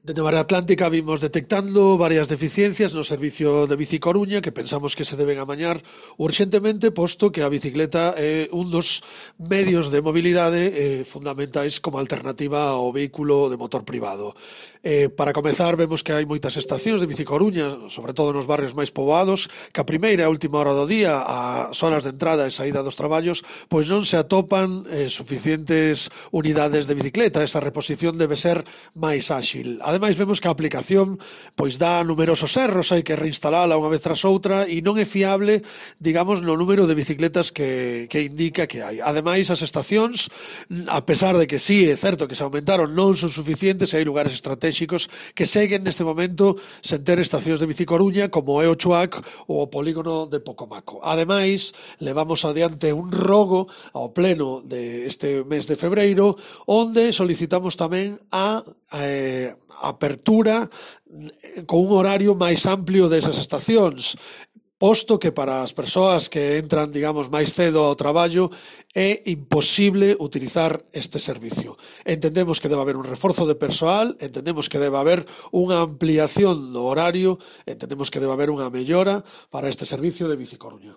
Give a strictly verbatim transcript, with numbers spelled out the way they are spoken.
Dende Marea Atlántica vimos detectando varias deficiencias no servicio de Bici Coruña que pensamos que se deben amañar urxentemente, posto que a bicicleta é un dos medios de mobilidade eh, fundamentais como alternativa ao vehículo de motor privado. Eh, para comezar, vemos que hai moitas estacións de Bici Coruña, sobre todo nos barrios máis poboados, que a primeira e a última hora do día, as horas de entrada e saída dos traballos, pois non se atopan eh, suficientes unidades de bicicleta. Esa reposición debe ser máis áxil. Ademais, vemos que a aplicación pois dá numerosos erros, hai que reinstalala unha vez tras outra e non é fiable, digamos, no número de bicicletas que, que indica que hai. Ademais, as estacións, a pesar de que sí, é certo que se aumentaron, non son suficientes e hai lugares estratégicos que seguen neste momento sen ter estacións de Bici Coruña, como é o Chuac ou o polígono de Pocomaco. Ademais, levamos adiante un rogo ao pleno deste mes de febreiro, onde solicitamos tamén a eh, apertura con un horario máis amplio desas estacións, posto que para as persoas que entran, digamos, máis cedo ao traballo é imposible utilizar este servicio. Entendemos que debe haber un reforzo de persoal, entendemos que debe haber unha ampliación do horario, entendemos que debe haber unha mellora para este servicio de Bici Coruña.